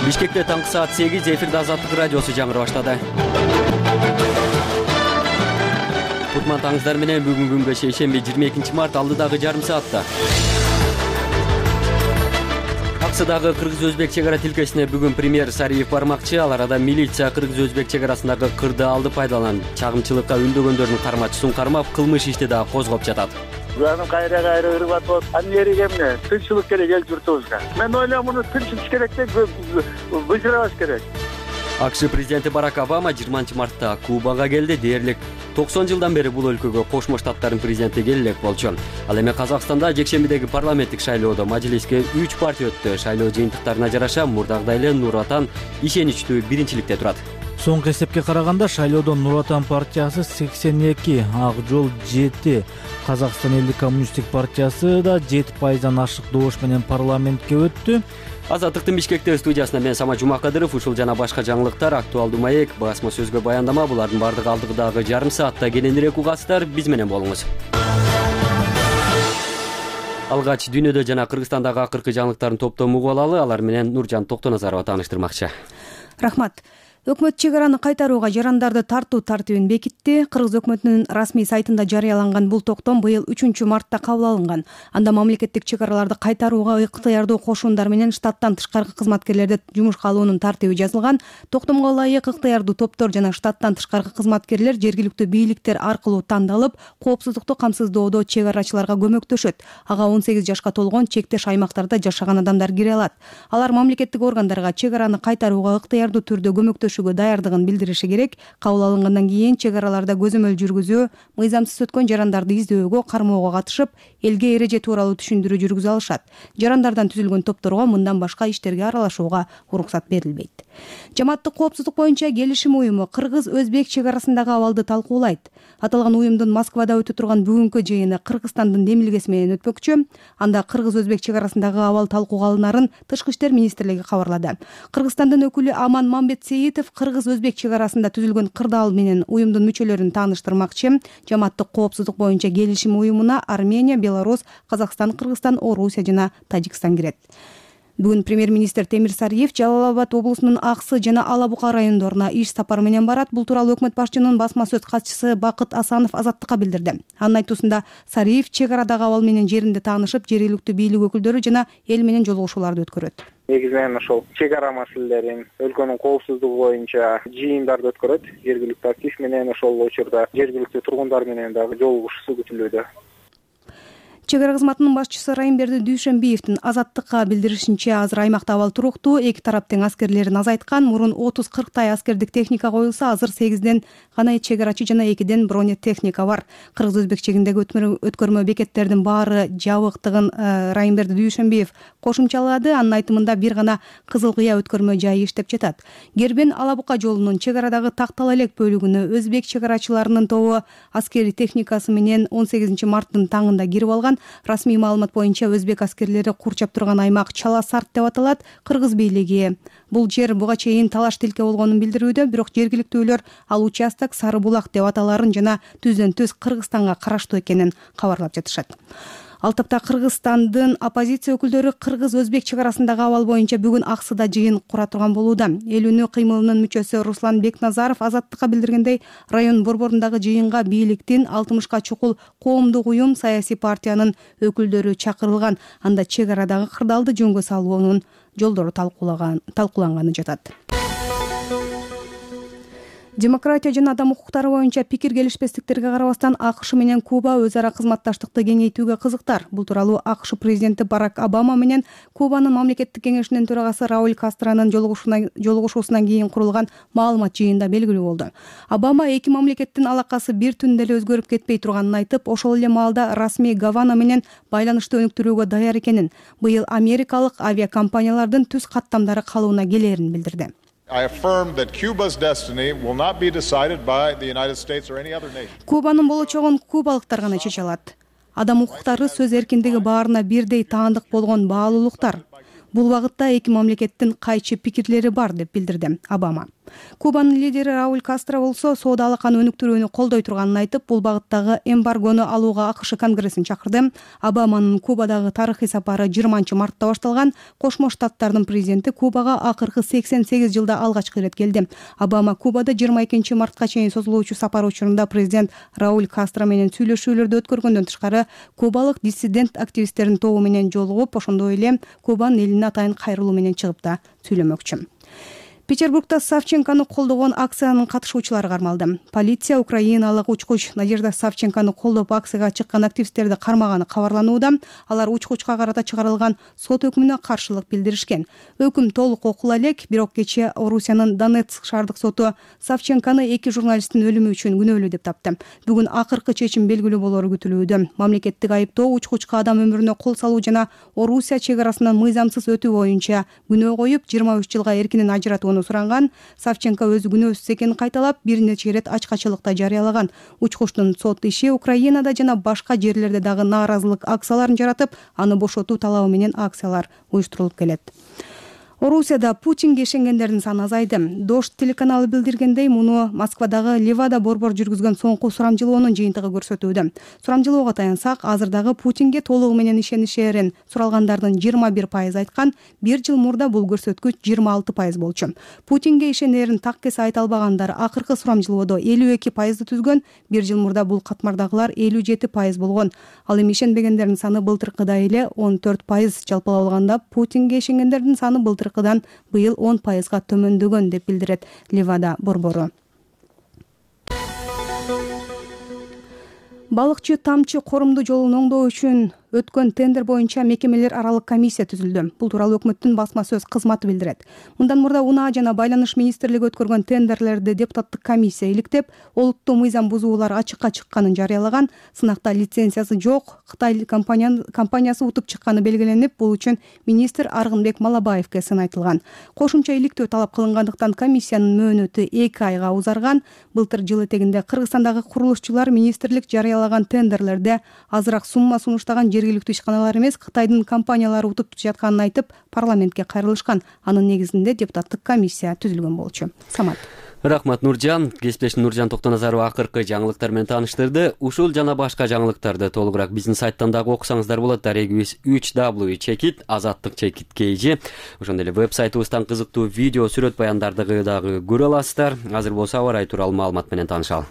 Бишкекте таңкы саат 8 эфирде Азаттык радиосу жаңыры баштады. Кутман таңыздар менен бүгүнкү күнгө шейшемби 22 март алдыдагы жарым саатта. Аксыдагы кыргыз-өзбек чек ара тилкесине бүгүн премьер Сариев бармакчы. Ал арада милиция кыргыз-өзбек чек арасындагы кырды алды пайдаланып, чагымчылыкка үндөгөндөрдүн кармачысын кармап, кылмыш ишти да козгоп жатат. Жаным кайра ырып атып, анерге эмне? Тынччылык керек эл журтубузга. Мен ойлойм, муну тынччылык керек деп бышырабаш керек. АКШ президенти Барак Обама 20 мартта Кубага келди. Дээрлик 90 жылдан бери бул өлкөгө Кошмо Штаттардын президенти келе элек болчу. Ал эми Казакстанда жекшембидеги парламенттик шайлоодо мажлиске 3 партия өттү. Шайлоо жыйынтыктарына жараша мурдагыдай эле Нур Отан ишеничтүү биринчиликте турат. Соңку эсепке караганда шайлоодон Нур Отан партиясы 82, Ак жол 7, Казакстан элдик коммунисттик партиясы да 7% ашык добуш менен парламентке өттү. Азаттыктын Бишкекте студиясына мен Сама Жумакадыров, ушул жана башка жаңылыктар, актуалдуу маек, басма сөзгө баяндама, булардын бардыгы алдыдагы жарым саатта кененирээк угасыздар, биз менен болуңуз. Алгач дүйнөдө жана Кыргызстандагы акыркы жаңылыктардын топтомун угуп алалы. Алар менен Нуржан Токтоназарова тааныштырмакчы. Рахмат. Өкмөт чек араны кайтарууга жарандарды тартуу тартибин бекитти. Кыргыз өкмөтүнүн расмий сайтында жарыяланган бул токтом быйыл 3-мартта кабыл алынган. Анда мамлекеттик чек араларды кайтарууга ыктыярдуу кошуундар менен штаттан тышкаркы кызматкерлерди жумушка алуунун тартиби жазылган. Токтомго ылайык ыктыярдуу топтор жана штаттан тышкаркы кызматкерлер жергиликтүү бийликтер аркылуу тандалып, коопсуздукту камсыздоодо чек арачыларга көмөктөшөт. Ага 18 жашка толгон чектеш аймактарда жашаган адамдар кире алат. Алар мамлекеттик органдарга чек араны кайтарууга ыктыярдуу түрдө көмөктөшөт даярдыгын билдириши керек. Кабыл алынгандан кийин чек араларда көзөмөл жүргүзүү, мыйзамсыз өткөн жарандарды издөөгө, кармоого катышып, элге эреже тууралуу түшүндүрүү жүргүзө алышат. Жарандардан түзүлгөн топторго мындан башка иштерге аралашууга уруксат берилбейт. Жамааттык коопсуздук боюнча келишим уюму Кыргыз-Өзбек чек арасындагы абалды талкуулайт. Аталган уюмдун Москвада өтө турган бүгүнкү жыйыны Кыргызстандын демилгеси менен өтпөкчү. Анда Кыргыз-Өзбек чек арасындагы абал талкууга алынарын Тышкы иштер министрлиги кабарлады. Кыргызстандын өкүлү Аман Мамбетсеитов Кыргыз-Өзбек чек арасында түзүлгөн кырдаал менен уюмдун мүчөлөрүн тааныштырмакчы. Жамааттык коопсуздук боюнча келишим уюмуна Армения, Беларусь, Казакстан, Кыргызстан, Орусия жана Тажикстан кирет. Бүгүн премьер-министр Темир Сариев Жалал Абад облусунун Аксы жана Ала Бука райондоруна иш сапары менен барат. Бул тууралуу өкмөт башчынын басма сөз катчысы Бакыт Асанов Азаттыкка билдирди. Анын айтуусунда Сариев чек арадагы абал менен жеринде таанышып, жергиликтүү бийлик өкүлдөрү жана эл менен жолугушууларды өткөрөт. Негизинен ошол чек ара маселелерин, өлкөнүн коопсуздугу боюнча жыйындарды өткөрөт. Жергиликтүү актив менен ошол учурда жергиликтүү тургундар менен дагы жолугушуусу күтүлүүдө. Чек ара кызматынын башчысы Райымберди Дүйшөнбиевдин Азаттыкка билдиришинче, азыр аймакта абал туруктуу, эки тарап тең аскерлерин азайткан. Мурун 30-40 аскердик техника коюлса, азыр 8ден гана чек арачы жана 2ден бронетехника бар. Кыргыз-Өзбек чегиндеги өткөрмө бекеттердин баары жабыктыгын Райымберди Дүйшөнбиев кошумчалады. Анын айтымында бир гана Кызыл Кыя өткөрмө жайы иштеп жатат. Гербен Ала Бука жолунун чек арадагы Тактал элек бөлүгүнө өзбек чек арачыларынын тобу аскери техникасы менен 18 марттын таңында кирип алган. Расмий маалымат боюнча өзбек аскерлери курчап турган аймак Чала Сарт деп аталат. Кыргыз бийлиги бул жер буга чейин талаш тилке болгонун билдирүүдө, бирок жергиликтүүлөр ал участок Сары Булак деп аталарын жана түздөн-түз Кыргызстанга караштуу экенин кабарлап жатышат. Ал тапта Кыргызстандын оппозиция өкүлдөрү Кыргыз-Өзбек чек арасындагы абал боюнча бүгүн Аксыда жыйын кура турган болууда. Эл үнү кыймылынын мүчөсү Руслан Бекназаров Азаттыкка билдиргендей, район борборундагы жыйынга бийликтин 60 чукул коомдук уюм, саясий партиянын өкүлдөрү чакырылган. Анда чек арадагы кырдаалды жөнгө салуунун жолдору талкууланганы жатат. Демократия жана адам укуктары боюнча пикир келишпестиктерге карабастан АКШ менен Куба өз ара кызматташтыкты кеңейтүүгө кызыктар. Бул тууралуу АКШ президенти Барак Обама менен Кубанын мамлекеттик кеңешинин төрагасы Рауль Кастронун жолугушуусунан кийин курулган маалымат жыйында белгилүү болду. Обама эки мамлекеттин алакасы бир түндө эле өзгөрүп кетпей турганын айтып, ошол эле маалда расмий Гавана менен байланышты өнүктүрүүгө даяр экенин, быйыл америкалык авиакомпаниялардын түз каттамдары калууна келээрин билдирди. I affirm that Cuba's destiny will not be decided by the United States or any other nation. Кубанын болочогун кубалыктар гана чече алат. Адам укуктары сөз эркиндиги баарына бирдей таандык болгон баалуулуктар. Бул багытта эки мамлекеттин кайчы пикирлери бар деп билдирди Обама. Кубанын лидери Рауль Кастро болсо соода алаканы өнүктүрүүнү колдой турганын айтып, бул багыттагы эмбаргону алууга АКШ Конгрессин чакырды. Обаманын Кубадагы тарыхый сапары 20-мартта башталган. Кошмо Штаттардын президенти Кубага акыркы 88 жылда алгачкы ирет келди. Обама Кубада 22-мартка чейин созулуучу сапар учурунда президент Рауль Кастро менен сүйлөшүүлөрдү өткөргөндөн тышкары, кубалык диссидент активисттердин тобу менен жолугуп, ошондой эле Кубанын элине атайын кайрылуу менен чыгып да сүйлөмөкчү. Петербургда Савченкону колдогон акциянын катышуучулары кармалды. Полиция украиналык учкуч Надежда Савченкону колдоп акцияга чыккан активисттерди кармаганы кабарланууда. Алар учкучка карата чыгарылган сот өкүмүнө каршылык билдиришкен. Өкүм толук окула элек, бирок кечээ Орусиянын Донецк шаардык соту Савченкону 2 журналисттин өлүмү үчүн күнөөлүү деп тапты. Бүгүн акыркы чечим белгилүү болору күтүлүүдө. Мамлекеттик айыптоо учкучка адам өмүрүнө кол салуу жана Орусия чек арасынан мыйзамсыз өтүү боюнча күнөө коюп, 23 жылга эркинен ажыратууну суранган. Савченко өзү күнөөсүз экенин кайталап, бир нече ирет ачкачылыкта жарыялаган. Учкучтун сот иши Украинада жана башка жерлерде дагы нааразылык акцияларын жаратып, аны бошотуу талабы менен акциялар уюштурулуп келет. Орусияда Путинге ишенгендердин саны азайды. Дождь телеканалы билдиргендей, муну Москвадагы Левада борбор жүргүзгөн соңку сурамжылоонун жыйынтыгы көрсөтүүдө. Сурамжылоого таянсак, азырдагы Путинге толугу менен ишенишерин суралгандардын 21% айткан, бир жыл мурда бул көрсөткүч 26% болчу. Путинге ишенерин так кесе айта албагандар акыркы сурамжылоодо 52% түзгөн, бир жыл мурда бул катмардагылар 57% болгон. Ал эми ишенбегендердин саны былтыркыдай эле 14%. Жалпылап алганда Путинге ишенгендердин саны былтыркыдан быйыл 10%га төмөндөгөн деп билдирет Левада борбору. Балыкчы тамчы корумду жолун оңдоо үчүн өткөн тендер боюнча мекемелер аралык комиссия түзүлдү. Бул тууралуу өкмөттүн басма сөз кызматы билдирет. Мындан мурда Унаа жана Байланыш министрлиги өткөргөн тендерлерди депутаттык комиссия иликтеп, олуттуу мыйзам бузуулар ачыкка чыкканын жарыялаган. Сынакта лицензиясы жок Кытай компаниясы утуп чыкканы белгиленип, бул үчүн министр Аргынбек Малабаевге сын айтылган. Кошумча иликтөө талап кылынгандыктан комиссиянын мөөнөтү 2 айга узарган. Былтыр жыл этегинде Кыргызстандагы курулушчулар министрлик жарыялаган тендерлерде азыраак сумма сунуштаган жергиликтүү ишканалар эмес, Кытайдын компаниялары утуп жатканын айтып, парламентке кайрылышкан. Анын негизинде депутаттык комиссия түзүлгөн болчу. Самат. Рахмат Нуржан. Кесиптешим Нуржан Токтоназарова акыркы жаңылыктар менен тааныштырды. Ушул жана башка жаңылыктарды толугураак биздин сайттан дагы окусаңыздар болот. Дарегибиз 3w azattik.kg. Ошондой эле веб-сайтыбыздан кызыктуу видео, сүрөт баяндарды дагы көрө аласыздар. Азыр болсо аба ырайы тууралуу маалымат менен таанышалы.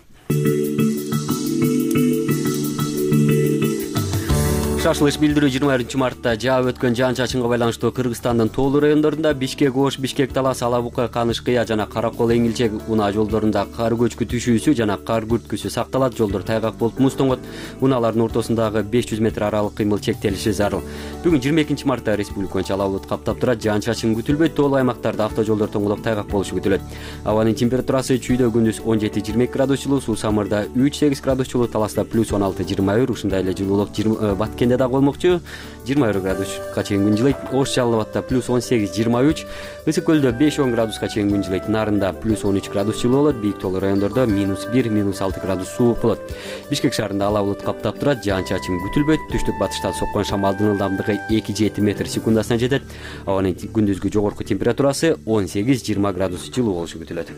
Шашылыш билдирүү 21-мартта жаап өткөн жаан-чачынга байланыштуу Кыргызстандын тоолуу райондорунда Бишкек-Ош, Бишкек-Талас, Алабука, Каныш-Кыя жана Каракол-Эңилчек Унаа жолдорунда кар көчкү түшүүсү жана кар күрткүсү сакталат. Жолдор тайгак болуп муз тоңот. Унаалардын ортосундагы 500 метр аралык кыймыл чектелиши зарыл. Бүгүн 22-мартта республика боюнча ала булут каптап турат. Жаан-чачын күтүлбөйт. Тоолуу аймактарда автожолдор тоңолуп тайгак болушу күтүлөт. Абанын температурасы чүйдө күндүз 17-22 градус жылуу, суу самырда 3-8 градус жылуу, Таласта плюс 16-21, ушундай эле жылуулук Баткенде да болмокчу. 20 градуска чейин күн жылыйт. Ош Жалал Абадда плюс 18-23, Ысык көлдө 5-10 градуска чейин күн жылыйт. Нарында плюс 13 градус жылуу болот. Бийик тоолуу райондордо -1, -6 градус суук болот. Бишкек шаарында ала булут каптап турат. Жаан-чачын күтүлбөйт. Түштүк батыштан соккон шамалдын ылдамдыгы 2-7 метр секундасына жетет. Абанын күндүзгү жогорку температурасы 18-20 градус жылуу болушу күтүлөт.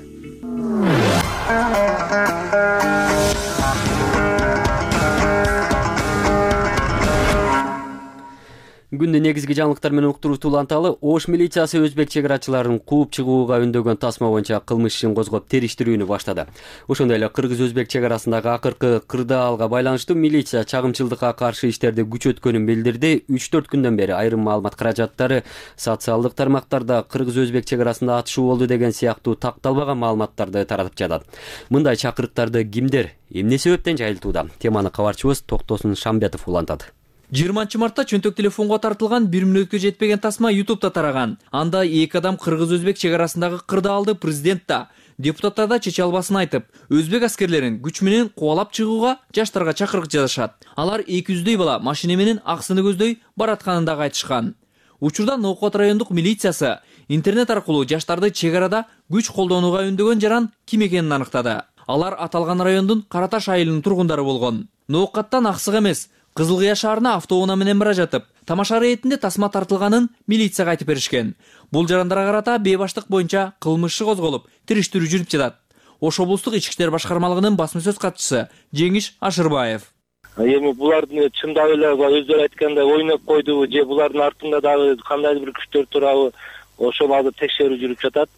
Күндүн негизги жаңылыктар менен уктуруусу уланталы. Ош милициясы өзбек чек арачыларын кууп чыгууга үндөгөн тасма боюнча кылмыш ишин козгоп териштирүүнү баштады. Ошондой эле кыргыз-өзбек чек арасындагы акыркы кырдаалга байланыштуу милиция чагымчылдыкка каршы иштерди күчөткөнүн билдирди. 3-4 күндөн бери айрым маалымат каражаттары социалдык тармактарда кыргыз-өзбек чек арасында атышуу болду деген сыяктуу такталбаган маалыматтарды таратып жатат. Мындай чакырыктарды кимдер, эмне себептен жайылтууда? Теманы кабарчыбыз Токтосун Шамбетов улантат. 20-мартта чөнтөк телефонго тартылган 1 мүнөткө жетпеген тасма YouTube'да тараган. Анда 2 адам кыргыз-өзбек чек арасындагы кырдаалды президент да, депутаттар да чече албасын айтып, өзбек аскерлерин күч менен кубалап чыгууга жаштарга чакырык жазышат. Алар 200дөй бала машина менен аксыны көздөй баратканын дагы айтышкан. Учурда Ноокот райондук милициясы интернет аркылуу жаштарды чек арада күч колдонууга үндөгөн жаран ким экенин аныктады. Алар аталган райондун Караташ айылынын тургундары болгон. Ноокаттан аксык эмес, Кызыл Кыя шаарына автоунаа менен бара жатып, тамаша иретинде тасма тартылганын милицияга айтып беришкен. Бул жарандарга карата бейбаштык боюнча кылмыш иши козголуп, териштирүү жүрүп жатат. Ош облустук ички иштер башкармалыгынын басма сөз катчысы Жеңиш Ашырбаев. Эми булардын чындап эле өздөрү айткандай ойноп койдубу же булардын артында дагы кандайдыр бир күчтөр турабы, ошол азыр текшерүү жүрүп жатат.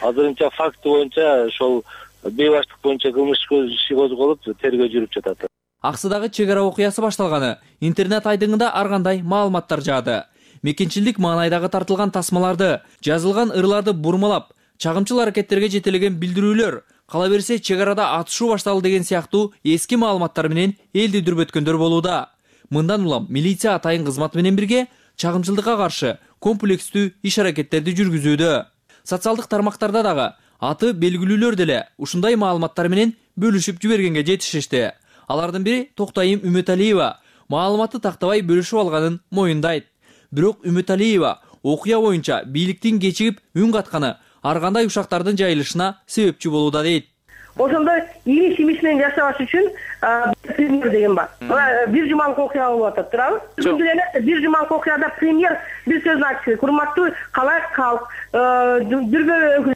Азырынча факт боюнча ошол бейбаштык боюнча кылмыш иши козголуп, тергөө жүрүп жатат. Аксыдагы чек ара окуясы башталганы интернет айдыңында ар кандай маалыматтар жаады. Мекенчилдик маанайдагы тартылган тасмаларды, жазылган ырларды бурмалап, чагымчыл аракеттерге жетелеген билдирүүлөр, кала берсе чек арада атышуу башталды деген сыяктуу эски маалыматтар менен элди дүрбөткөндөр болууда. Мындан улам милиция атайын кызматы менен бирге чагымчылдыкка каршы комплекстүү иш аракеттерди жүргүзүүдө. Социалдык тармактарда дагы аты белгилүүлөр деле ушундай маалыматтар менен бөлүшүп жибергенге жетишишти. Алардын бири Токтайым Үмөталиева маалыматты тактабай бөлүшүп алганын моюндайт. Бирок Үмөталиева окуя боюнча бийликтин кечигип үн катканы ар кандай ушактардын жайылышына себепчи болууда дейт. Ошондо иш менен жашабаш үчүн премьер деген бар. Бир жумалык окуя болуп атат, туурабы? Бир жумалык окуяда премьер бир сөзүн айтты. Урматтуу калай калк, дүрбө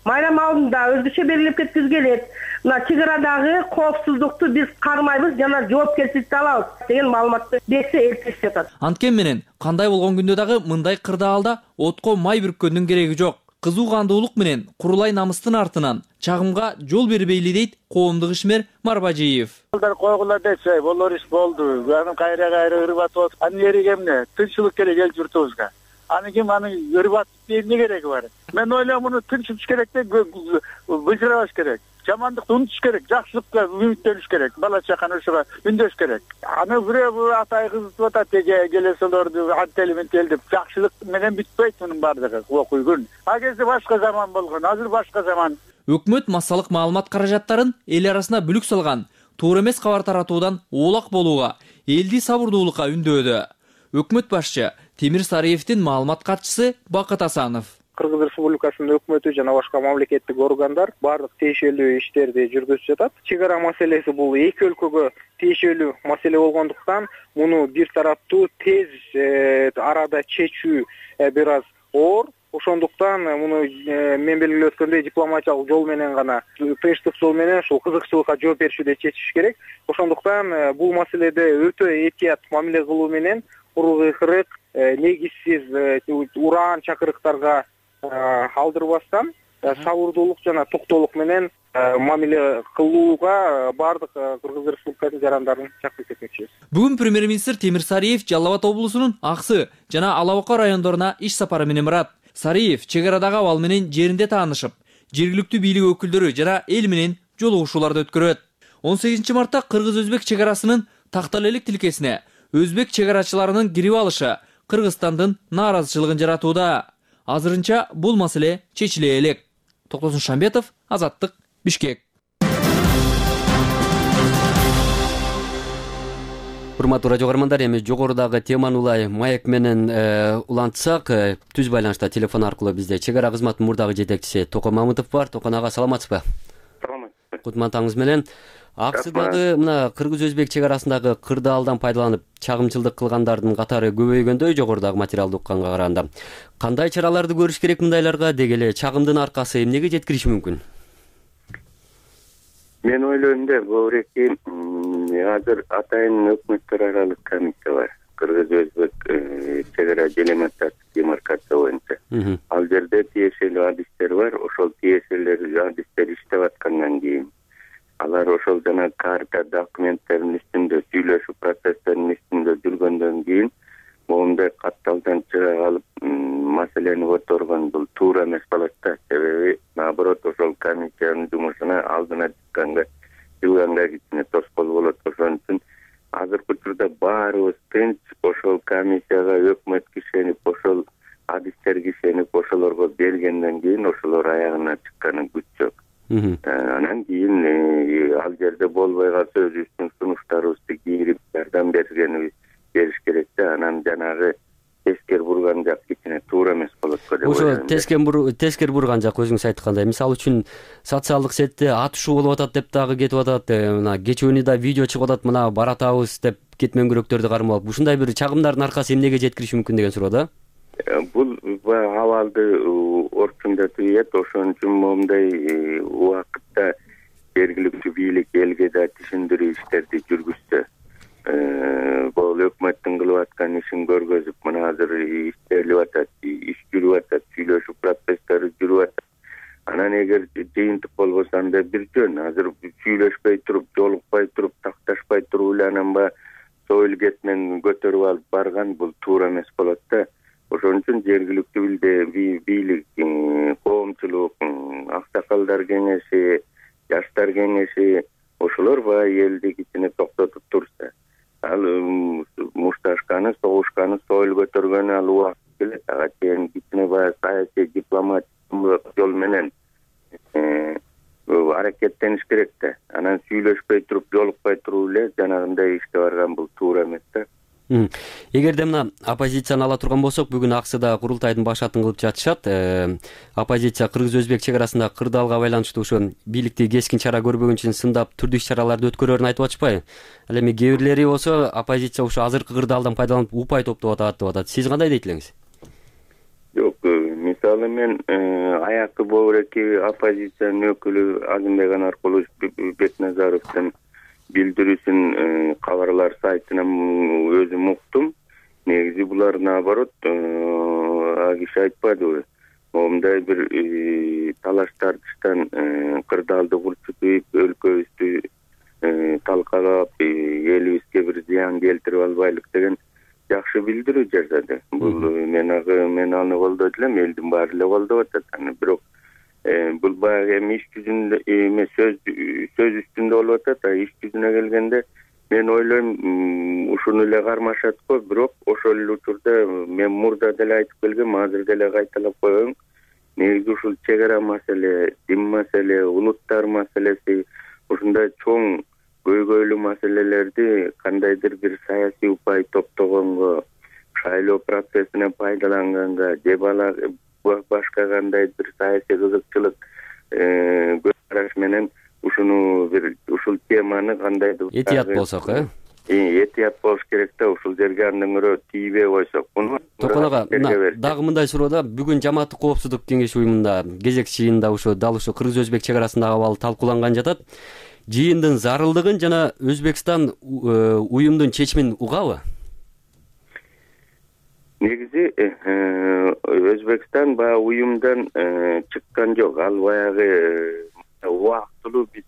майрам алдында өзгөчө белгилеп кеткиз келет. Мына чек арадагы коопсуздукту биз кармайбыз жана жоопкерчиликти алабыз деген маалыматты берсе элтирип жатат. Анткени менен кандай болгон күндө дагы мындай кырдаалда отко май бүрккөндүн кереги жок. Кызуу кандуулук менен курулай намыстын артынан чагымга жол бербейли дейт коомдук ишмер Марбажиев. Койгула десе, болор иш болду. Анын кайра ырбатып атып, анын эриги эмне? Тынччылык керек эл журтубузга. Аны ким аны ырбатып эмне кереги бар? Мен ойлойм, муну тынчсыз керек деп быжырабаш керек. Жамандыкты унутуш керек, жакшылыкка үмүттөнүш керек, бала чаканы ушуга үндөш керек. Аны бирөө атай кызытып атат, келесилерди антели ментел деп, жакшылык менен бүтпөйт мунун баардыгы окуй күн. А кезде башка заман болгон, азыр башка заман. Өкмөт массалык маалымат каражаттарын эл арасына бүлүк салган, туура эмес кабар таратуудан оолак болууга, элди сабырдуулукка үндөдү. Өкмөт башчы Темир Сариевдин маалымат катчысы Бакыт Асанов. Кыргыз Республикасынын өкмөтү жана башка мамлекеттик органдар бардык тиешелүү иштерди жүргүзүп жатат. Чек ара маселеси бул эки өлкөгө тиешелүү маселе болгондуктан муну бир тараптуу тез арада чечүү бир аз оор. Ошондуктан муну мен белгилеп өткөндөй дипломатиялык жол менен гана, тынчтык жол менен ушул кызыкчылыкка жооп беришүүдө чечиш керек. Ошондуктан бул маселеде өтө этият мамиле кылуу менен урукырык, негизсиз ураан чакырыктарга алдырбастан сабырдуулук жана токтоолук менен мамиле кылууга бардык Кыргыз Республикасынын жарандарын чакырып кетмекчибиз. Бүгүн премьер-министр Темир Сариев Жалал Абад облусунун Аксы жана Ала Ока райондоруна иш сапары менен барат. Сариев чек арадагы абал менен жеринде таанышып, жергиликтүү бийлик өкүлдөрү жана эл менен жолугушууларды өткөрөт. 18 мартта кыргыз-өзбек чек арасынын такталелик тилкесине өзбек чек арачыларынын кирип алышы Кыргызстандын нааразычылыгын жаратууда. Азырынча бул маселе чечиле элек. Токтосун Шамбетов, Азаттык, Бишкек. Урматтуу радио көрөрмандар, эми жогорудагы теманы улай маек менен улантсак, түз байланышта телефон аркылуу бизде чек ара кызматынын мурдагы жетекчиси Токон Мамытов бар. Токон ага, саламатсызбы? Саламат. Кутман менен. Аксыдагы мына кыргыз-өзбек чек арасындагы кырдаалдан пайдаланып чагымчылдык кылгандардын катары көбөйгөндөй жогорудагы материалды укканга караганда. Кандай чараларды көрүш керек мындайларга, деги эле чагымдын аркасы эмнеге жеткириши мүмкүн? Мен ойлойм да, бөбүреки азыр атайын өкмөттөр аралык комиссия бар. Кыргыз-өзбек чек ара делимитация демаркация боюнча. Ал жерде тиешелүү адистер бар. Ошол тиешелүү адистер иштеп аткандан кийин алар ошол жана карта документтердин үстүндө сүйлөшүү процесстеринин үстүндө жүргөндөн кийин моундай катталдан чыга алып маселени көтөргөн бул туура эмес болот да. Себеби наоборот ошол комиссиянын жумушуна алдына чыкканга кичине тоскоол болот. Ошон үчүн азыркы учурда баарыбыз тынч ошол комиссияга өкмөт кишенип, ошол адистерге ишенип, ошолорго бергенден кийин ошолор аягына чыкканы күч жок. Анан кийин ал жерде болбой калса өзүбүздүн сунуштарыбызды кийирип жардам бериш керек да. Анан жанагы эскер бурга турган жак кичине туура эмес болот го деп ойлойм. Ошо тескери бурган жак өзүңүз айткандай. Мисалы үчүн социалдык сетте атышуу болуп атат деп дагы кетип атат. Мына кечүүнү да видео чыгып атат, мына баратабыз деп кетмөңгүрөктөрдү кармап алып. Ушундай бир чагымдардын аркасы эмнеге жеткириши мүмкүн деген суроо да. Бул абалды орчундатып ийет. Ошон үчүн моундай убакытта жергиликтүү бийлик элге да түшүндүрүү иштерди жүргүзсө, бул өкмөттүн кылып аткан ишин көргөзүп, мына азыр иштелип атат, иш жүрүп атат, сүйлөшүү процесстери жүрүп атат. Анан эгер жыйынтык болбосо анда бир жөн. Азыр сүйлөшпөй туруп, жолукпай туруп, такташпай туруп эле анан союл кетмен көтөрүп алып барган бул туура эмес болот да. Ошон үчүн жергиликтүү бийлик, коомчулук, аксакалдар кеңеши, жаштар кеңеши ошолор элди кичине токтотуп турса, ал мушташканы, согушканы, союл көтөргөнү ал убакыт келет. Ага чейин кичине саясий дипломатик жол менен аракеттениш керек да. Анан сүйлөшпөй туруп, жолукпай туруп эле жанагындай ишке барган бул туура эмес да. Эгерде мына оппозицияны ала турган болсок, бүгүн АКСыда курултайдын башатын кылып жатышат. Оппозиция кыргыз-өзбек чек арасында кырдаалга байланыштуу ошо бийликти кескин чара көрбөгөн үчүн сындап түрдүү иш-чараларды өткөрөрүн айтып атышпайбы? Ал эми кээ бирлери болсо оппозиция ошо азыркы кырдаалдан пайдаланып упай топтоп атат деп атат. Сиз кандай дейт элеңиз? Жок, мисалы мен аякы боореки оппозициянын өкүлү Азимбек Анаркулович Бекназаровдун билдирүүсүн кабарлар сайтынан өзүм уктум. Негизи булар наоборот, киши айтпадыбы, момундай бир талаш тартыштан кырдаалды курчутуп, өлкөбүздү талкалап, элибизге бир зыян келтирип албайлык деген жакшы билдирүү жасады. Бул мен аны колдойт элем, элдин баары эле колдоп атат. Бирок бул баягы эми иш жүзүндө эмес, сөз үстүндө болуп атат. Иш жүзүнө келгенде мен ойлойм ушуну эле кармашат го. Бирок ошол эле учурда мен мурда деле айтып келгем, азыр деле кайталап коеюн. Негизи ушул чек ара маселе, дин маселе, улуттар маселеси, ушундай чоң көйгөйлүү маселелерди кандайдыр бир саясий упай топтогонго, шайлоо процессине пайдаланганга, же башка кандай бир саясий кызыкчылык көз караш менен ушул теманы кандайдыр этият болсок, этият болуш керек да. Ушул жерге андан көрө тийбей койсок. Токон ага, дагы мындай суроо да. Бүгүн Жамааттык коопсуздук кеңеши уюмунда кезек жыйында дал ушул кыргыз-өзбек чек арасындагы абал талкууланган жатат. Жыйындын зарылдыгын жана Өзбекстан уюмдун чечимин угабы? Негизи Өзбекстан уюмдан чыккан жок. Ал баягы убактылуу биз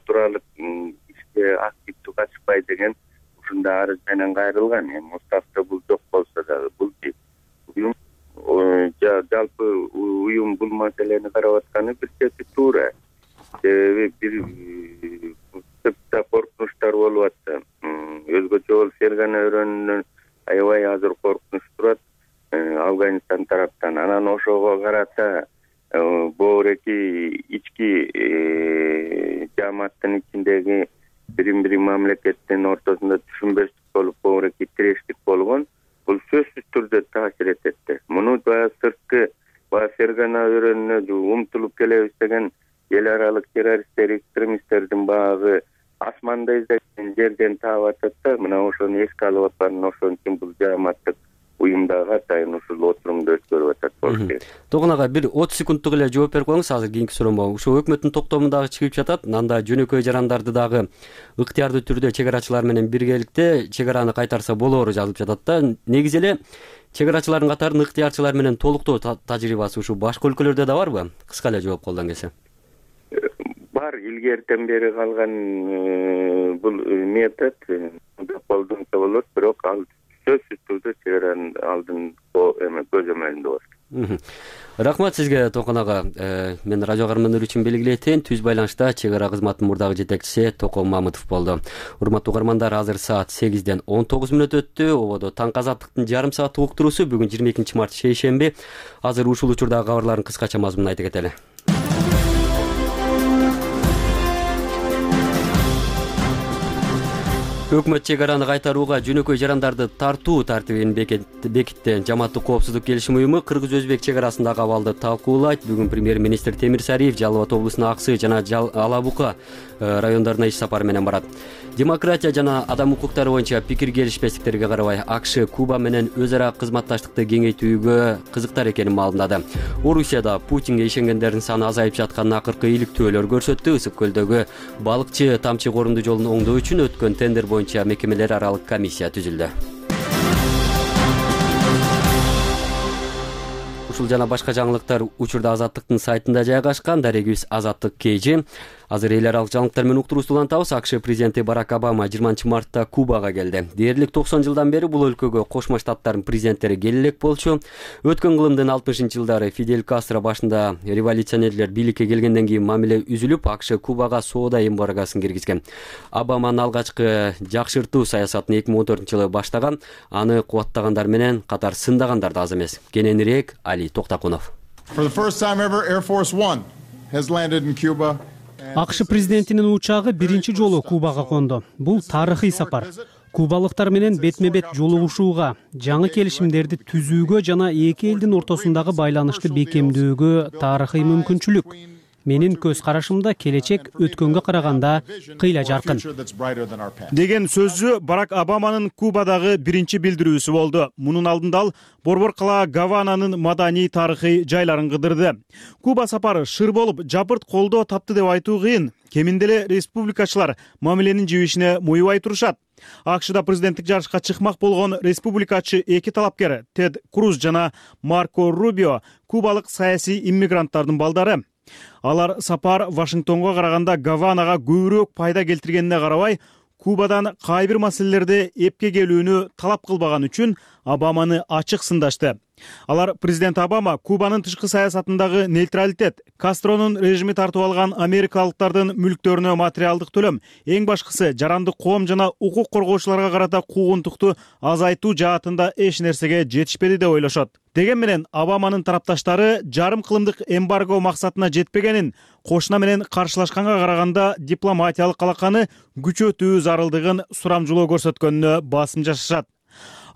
туралык ишке активдүү катышпай деген ушундай арыз менен кайрылган. Эми уставда бул жок болсо дагы бул уюм жалпы уюм бул маселени карап атканы бир чети туура. Себеби бир сыртта коркунучтар болуп атты. Өзгөчө болуп Фергана өрөөнүнөн аябай азыр коркунуч турат Афганистан тараптан. Анан ошого карата боореки ички жамааттын ичиндеги бир мамлекеттин ортосунда түшүнбөстүк болуп, боореки тирештик болгон. Бул сөзсүз түрдө таасир этет. Муну сырткы Фергана өрөөнүнө умтулуп келебиз деген эл аралык террористтер, экстремисттердин багы асманда издеген жерден таап атат да. Мына ошону эске алып аткан, ошон үчүн бул жааматтык уюмдагы атайын ушул отурумду өткөрүп атат болуш керек. Токон ага бир 30 секундтук эле жооп берип коюңуз, азыр кийинки суроомо. Ушул өкмөттүн токтомундагы чыгып жатат. Анда жөнөкөй жарандарды дагы ыктыярдуу түрдө чек арачылар менен биргеликте чек араны кайтарса болоору жазылып жатат да. Негизи эле чек арачылардын катарын ыктыярчылар менен толуктоо тажрыйбасы ушул башка өлкөлөрдө да барбы? Кыска эле жооп колдон келсе. Бар, илгертен бери калган бул метод колдонсо болот, бирок ал сөзсүз түрдө чек аранын алдын көзөмөлүндө болот. Рахмат сизге Токон ага. Мен радио каармандар үчүн белгилетейин, түз байланышта чек ара кызматынын мурдагы жетекчиси Токон Мамытов болду. Урматтуу угармандар, азыр саат 8ден 19 мүнөт өттү. Ободо таңкы азаттыктын жарым сааттык уктуруусу бүгүн 22 март шейшемби. Азыр ушул учурдагы кабарлардын кыскача мазмунун айта кетели. Өкмөт чек араны кайтарууга жөнөкөй жарандарды тартуу тартибин бекитти. Жамааттык коопсуздук келишим уюму кыргыз-өзбек чек арасындагы абалды талкуулайт. Бүгүн премьер-министр Темир Сариев Жалал Абад облусуна Аксы жана Ала Бука райондоруна иш сапары менен барат. Демократия жана адам укуктары боюнча пикир келишпестиктерге карабай АКШ Куба менен өз ара кызматташтыкты кеңейтүүгө кызыктар экенин маалымдады. Орусияда Путинге ишенгендердин саны азайып жатканын акыркы иликтөөлөр көрсөттү. Ысык көлдөгү балыкчы тамчы корунду жолун оңдоо үчүн өткөн тендер боюнча мекемелер аралык комиссия түзүлдү. Ушул жана башка жаңылыктар учурда Азаттыктын сайтында жайгашкан. Дарегибиз Азаттык KG. Азыр эл аралык жаңылыктар менен уктуруусу улантабыз. АКШ президенти Барак Обама 20-мартта Кубага келди. Дээрлик 90 жылдан бери бул өлкөгө Кошмо Штаттардын президенттери келе элек болчу. Өткөн кылымдын 60-жылдары Фидель Кастро башында революционерлер бийликке келгенден кийин мамиле үзүлүп, АКШ Кубага соода эмбаргосын киргизген. Обаманын алгачкы жакшыртуу саясатын 2014-жылы баштаган, аны кубаттагандар менен катар сындагандар да аз эмес. Кененирээк Али Токтакунов. АКШ президентинин учагы биринчи жолу Кубага конду. Бул тарыхый сапар. Кубалыктар менен бетме-бет жолугушууга, жаңы келишимдерди түзүүгө жана эки элдин ортосундагы байланышты бекемдөөгө тарыхый мүмкүнчүлүк. Менин көз карашымда келечек өткөнгө караганда кыйла жаркын деген сөзү Барак Обаманын Кубадагы биринчи билдирүүсү болду. Мунун алдында ал Борбор кала Гавананын маданий тарыхый жайларын кыдырды. Куба сапары шыр болуп, жапырт колдоо тапты деп айтуу кыйын. Кеминде эле республикачылар мамиленин жибишине муйбай турушат. АКШда президенттик жарышка чыкмак болгон республикачы эки талапкер Тед Круз жана Марко Рубио кубалык саясий иммигранттардын балдары. Алар сапар Вашингтонго караганда Гаванага көбүрөөк пайда келтиргенине карабай, Кубадан кайбир маселелерде эпке келүүнү талап кылбаган үчүн Обаманы ачык сындашты. Алар президент Обама Кубанын тышкы саясатындагы нейтралитет, Кастронун режими тартып алган америкалыктардын мүлктөрүнө материалдык төлөм, эң башкысы жарандык коом жана укук коргоочуларга карата куугунтукту азайтуу жаатында эч нерсеге жетишпеди деп ойлошот. Деген менен Обаманын тарапташтары жарым кылымдык эмбарго максатына жетпегенин, кошуна менен каршылашканга караганда дипломатиялык алаканы күчөтүү зарылдыгын сурамжылоо көрсөткөнүнө басым жасашат.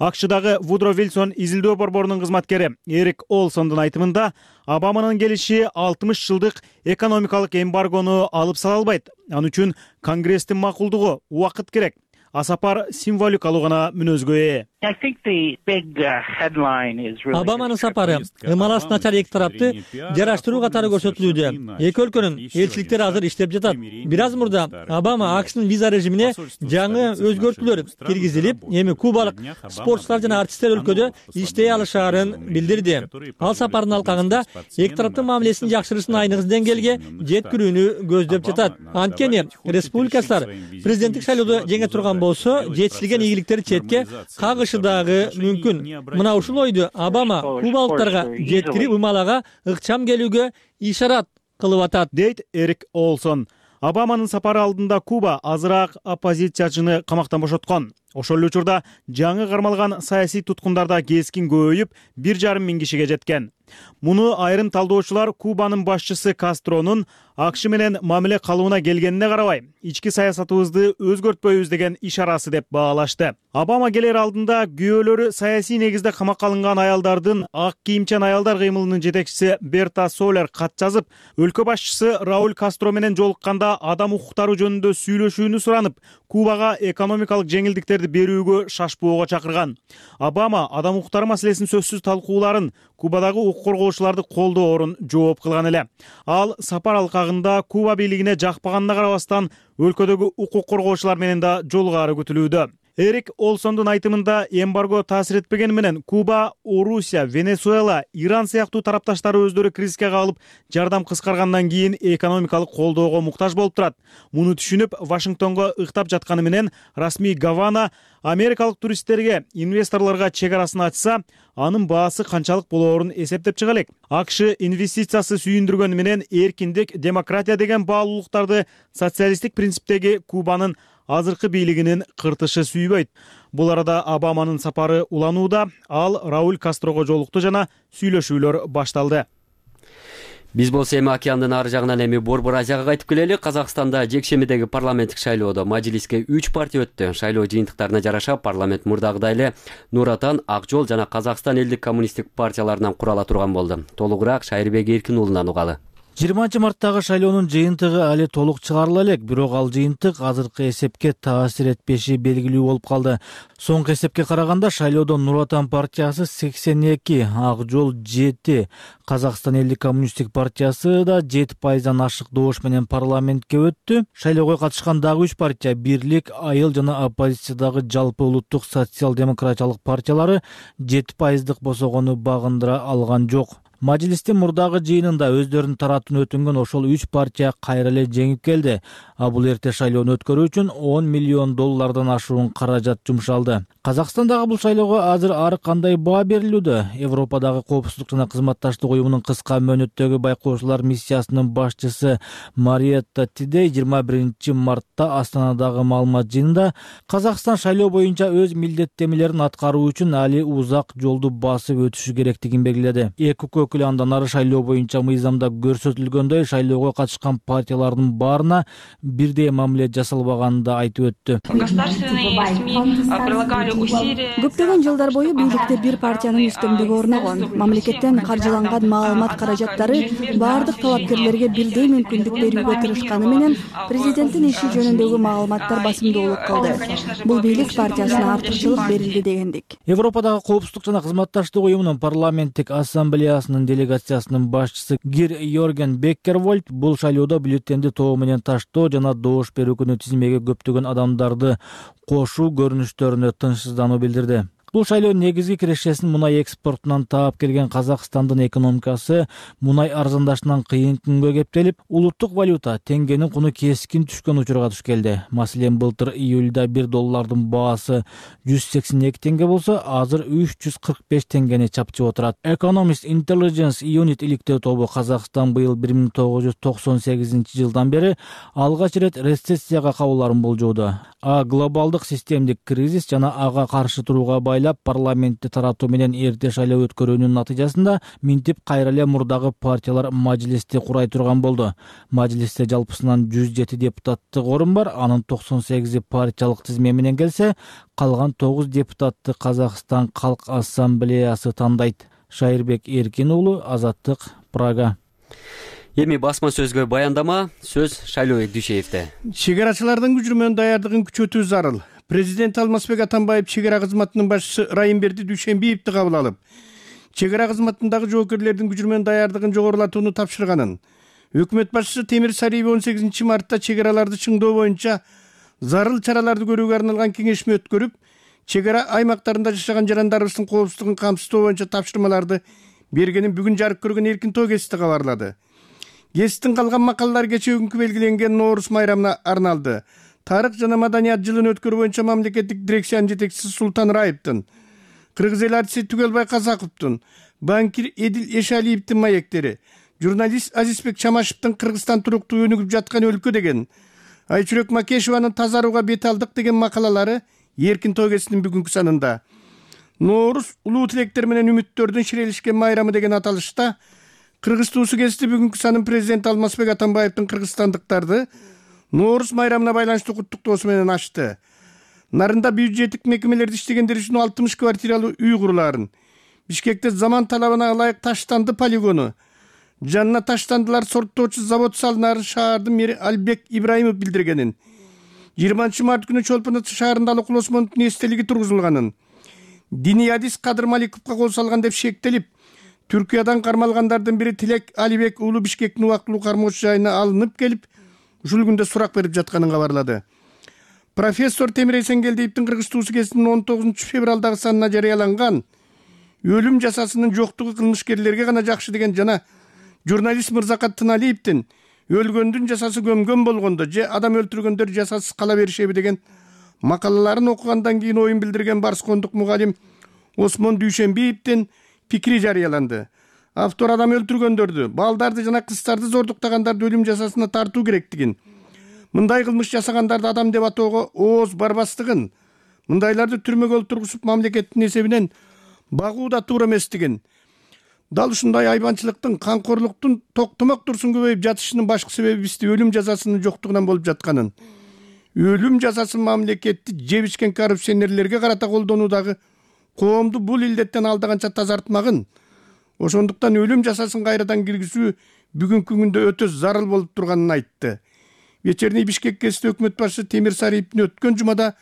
АКШдагы Вудро Вилсон изилдөө борборунун кызматкери Эрик Олсондун айтымында, Обаманын келиши 60 жылдык экономикалык эмбаргону алып сала албайт. Ал үчүн Конгресстин макулдугу, убакыт керек. А сапар символикалуу гана мүнөзгө ээ. Обаманын сапары ымалас начар эки тарапты жараштыруу катары көрсөтүлүүдө. Эки өлкөнүн элчиликтери азыр иштеп жатат. Бир аз мурда Обама АКШнын виза режимине жаңы өзгөртүүлөр киргизилип, эми кубалык спортчулар жана артисттер өлкөдө иштей алышаарын билдирди. Ал сапардын алкагында эки тараптын мамилесин жакшырышын айныгы деңгээлге жеткирүүнү көздөп жатат. Анткени республикачылар президенттик шайлоодо жеңе турган болсо, жетишилген ийгиликтери четке кагышы дагы мүмкүн. Мына ушул ойду Обама кубалыктарга жеткирип, ымалага ыкчам келүүгө ишарат кылып атат, дейт Эрик Олсон. Обаманын сапары алдында Куба азыраак оппозициячыны камактан бошоткон. Ошол эле учурда жаңы кармалган саясий туткундарда кескин көбөйүп, 1,5 миң кишиге жеткен. Муну айрым талдоочулар Кубанын башчысы Кастронун АКШ менен мамиле калууна келгенине карабай, ички саясатыбызды өзгөртпөйбүз деген ишарасы деп баалашты. Обама келер алдында күйөөлөрү саясий негизде камакка алынган аялдардын ак кийимчен аялдар кыймылынын жетекчиси Берта Солер кат жазып, өлкө башчысы Рауль Кастро менен жолукканда адам укуктары жөнүндө сүйлөшүүнү суранып, Кубага экономикалык жеңилдиктерди берүүгө шашпоого чакырган. Обама адам укуктары маселесин сөзсүз талкууларын, Кубадагы укук коргоочуларды колдоорун жооп кылган эле. Ал сапар алкагында Куба бийлигине жакпаганына карабастан, өлкөдөгү укук коргоочулар менен да жолугары күтүлүүдө. Эрик Олсондун айтымында, эмбарго таасир этпегени менен Куба, Орусия, Венесуэла, Иран сыяктуу тарапташтары өздөрү кризиске калып, жардам кыскаргандан кийин экономикалык колдоого муктаж болуп турат. Муну түшүнүп, Вашингтонго ыктап жатканы менен расмий Гавана америкалык туристтерге, инвесторлорго чек арасын ачса, анын баасы канчалык болоорун эсептеп чыга элек. АКШ инвестициясы сүйүндүргөнү менен эркиндик, демократия деген баалуулуктарды социалисттик принциптеги Кубанын азыркы бийлигинин кыртышы сүйбөйт. Бул арада Обаманын сапары уланууда, ал Рауль Кастрого жолукту жана сүйлөшүүлөр башталды. Биз болсо эми океандын ары жагынан эми Борбор Азияга кайтып келели. Казакстанда жекшембидеги парламенттик шайлоодо мажилиске 3 партия өттү. Шайлоо жыйынтыктарына жараша парламент мурдагыдай эле Нур Отан, Ак жол жана Казакстан элдик коммунисттик партияларынан курала турган болду. Толугураак Шайырбек Эркин уулунан угалы. 20-марттагы шайлоонун жыйынтыгы али толук чыгарыла элек, бирок ал жыйынтык азыркы эсепке таасир этпеши белгилүү болуп калды. Соңку эсепке караганда шайлоодо Нур Отан партиясы 82, Ак жол 7, Казакстан элдик коммунисттик партиясы да 7% ашык добуш менен парламентке өттү. Шайлоого катышкан дагы 3 партия Бирлик, Айыл жана оппозициядагы Жалпы улуттук социал-демократиялык партиялары 7% босогону багындыра алган жок. Мажлистин мурдагы жыйынында өздөрүнүн тараптын өтүнгөн ошол 3 партия кайра эле жеңип келди. А бул эрте шайлоону өткөрүү үчүн $10 миллион ашуун каражат жумшалды. Казакстандагы бул шайлоого азыр ар кандай баа берилүүдө. Европадагы коопсуздук жана кызматташтык уюмунун кыска мөөнөттөгү байкоочулар миссиясынын башчысы Мариетта Тидей 21-мартта Астанадагы маалымат жыйынында Казакстан шайлоо боюнча өз милдеттенмелерин аткаруу үчүн али узак жолду басып өтүшү керектигин белгиледи. Андан ары шайлоо боюнча мыйзамда көрсөтүлгөндөй шайлоого катышкан партиялардын баарына бирдей мамиле жасалбаганын да айтып өттү. Көптөгөн жылдар бою бийликте бир партиянын үстөмдүгү орногон. Мамлекеттен каржыланган маалымат каражаттары баардык талапкерлерге бирдей мүмкүндүк берүүгө тырышканы менен президенттин иши жөнүндөгү маалыматтар басымдуулук кылды. Бул бийлик партиясына артыкчылык берилди дегендик. Европадагы коопсуздук жана кызматташтык уюмунун парламенттик ассамблеясынын делегациясынын башчысы Гир Йорген Беккервольд бул шайлоодо бюллетенди тоо менен таштоо жана добуш берүү күнү тизмеге көптөгөн адамдарды кошуу көрүнүштөрүнө тынчсыздануу билдирди. Бул шайлоо негизги кирешесин мунай экспортунан таап келген Казакстандын экономикасы мунай арзандашынан кыйын күнгө кептелип, улуттук валюта теңгенин куну кескин түшкөн учурга туш келди. Маселен, былтыр июлда $1 баасы 182 теңге болсо, азыр 345 теңгени чапчып отурат. Economist Intelligence Unit иликтөө тобу Казакстан быйыл 1998 жылдан бери алгач ирет рецессияга кабыларын болжоодо. А глобалдык системдик кризис жана ага каршы турууга байлап парламентти таратуу менен эрте шайлоо өткөрүүнүн натыйжасында минтип кайра эле мурдагы партиялар мажилисти курай турган болду. Мажилисте жалпысынан 107 депутаттык орун бар, анын 98 партиялык тизме менен келсе, калган 9 депутатты Казакстан Калк Ассамблеясы тандайт. Шайырбек Эркин уулу, Азаттык, Прага. Эми басма сөзгө баяндама, сөз Шайлообек Дүйшеевде. Чегарачылардын күчүрмөн даярдыгын күчөтүү зарыл. Президент Алмазбек Атамбаев чегара кызматынын башчысы Райымберди Дүйшембиевди кабыл алып, чегара кызматындагы жоокерлердин күчүрмөн даярдыгын жогорулатууну тапшырганын. Өкмөт башчысы Темир Сариев 18-мартта чегараларды чыңдоо боюнча зарыл чараларды көрүүгө арналган кеңешме өткөрүп, чегара аймактарында жашаган жарандарыбыздын коопсуздугун камсыздоо боюнча тапшырмаларды бергенин бүгүн жарык көргөн Эркин Тоо гезити кабарлады. Гезиттин калган макалалары кечээ күнкү белгиленген Ноорус майрамына арналды. Тарых жана маданият жылын өткөрүү боюнча мамлекеттик дирекциянын жетекчиси Султан Раевдин, кыргыз эл артисти Түгөлбай Казаковдун, банкир Эдил Эшалиевдин маектери, журналист Азизбек Чамашевдин Кыргызстан туруктуу өнүгүп жаткан өлкө деген, Айчүрөк Макешеванын тазарууга бет алдык деген макалалары Эркин Тоо гезитинин бүгүнкү санында. Ноорус улуу тилектер менен үмүттөрдүн ширелишкен майрамы деген аталышта Кыргыз туусу гезити бүгүнкү санын президент Алмазбек Атамбаевдин кыргызстандыктарды Ноорус майрамына байланыштуу куттуктоосу менен ачты. Нарында бюджеттик мекемелерде иштегендер үчүн 60 квартиралуу үй курулаарын, Бишкекте заман талабына ылайык таштанды полигону, жанына таштандылар сорттоочу завод салынаарын шаардын мэри Албек Ибраимов билдиргенин, 20-март күнү Чолпон Ата шаарында Алыкул Осмоновдун эстелиги тургузулганын, диний адис Кадыр Маликовго кол салган деп шектелип, Түркиядан кармалгандардын бири Тилек Алибек уулу Бишкектин убактылуу кармоочу жайына алынып келип, ушул күндө сурак берип жатканын кабарлады. Профессор Темир Эсенгелдиевдин Кыргыз туусу гезитинин 19 февралдагы санына жарыяланган өлүм жазасынын жоктугу кылмышкерлерге гана жакшы деген жана журналист Мырзакат Тыналиевдин өлгөндүн жазасы көмгөн болгондо же адам өлтүргөндөр жазасыз кала беришеби деген макалаларын окугандан кийин оюн билдирген Барскондук мугалим Осмон Дүйшембиевдин пикири жарыяланды. Автор адам өлтүргөндөрдү, балдарды жана кыздарды зордуктагандарды өлүм жазасына тартуу керектигин, мындай кылмыш жасагандарды адам деп атоого ооз барбастыгын, мындайларды түрмөгө олтургузуп мамлекеттин эсебинен багуу да туура эместигин, Дал ушундай айбанчылыктын, камкорлуктун токтомок турсун көбөйүп жатышынын башкы себеби бизде өлүм жазасынын жоктугунан болуп жатканын. Өлүм жазасы мамлекетти жебишкен коррупционерлерге карата колдонуудагы коомду бул илдеттен алдаганча тазартмагын. Ошондуктан өлүм жазасын кайрадан киргизүү бүгүнкү күндө өтө зарыл болуп турганын айтты. Вечерний Бишкек гезити өкмөт башчысы Темир Сариевдин өткөн жумада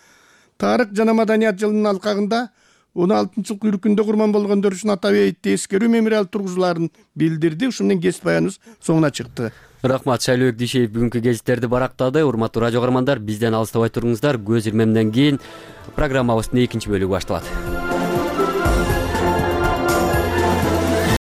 тарых жана маданият жылынын алкагында 16-жыл күркүндө курман болгондор үчүн Атабейтте эскерүү мемориал тургузуларын билдирди. Ушун менен гезит баяныбыз соңуна чыкты. Рахмат, Шайлообек Дишеев бүгүнкү гезиттерди барактады. Урматтуу радио каармандар, бизден алыстабай туруңуздар. Көз ирмемден кийин программабыздын экинчи бөлүгү башталат.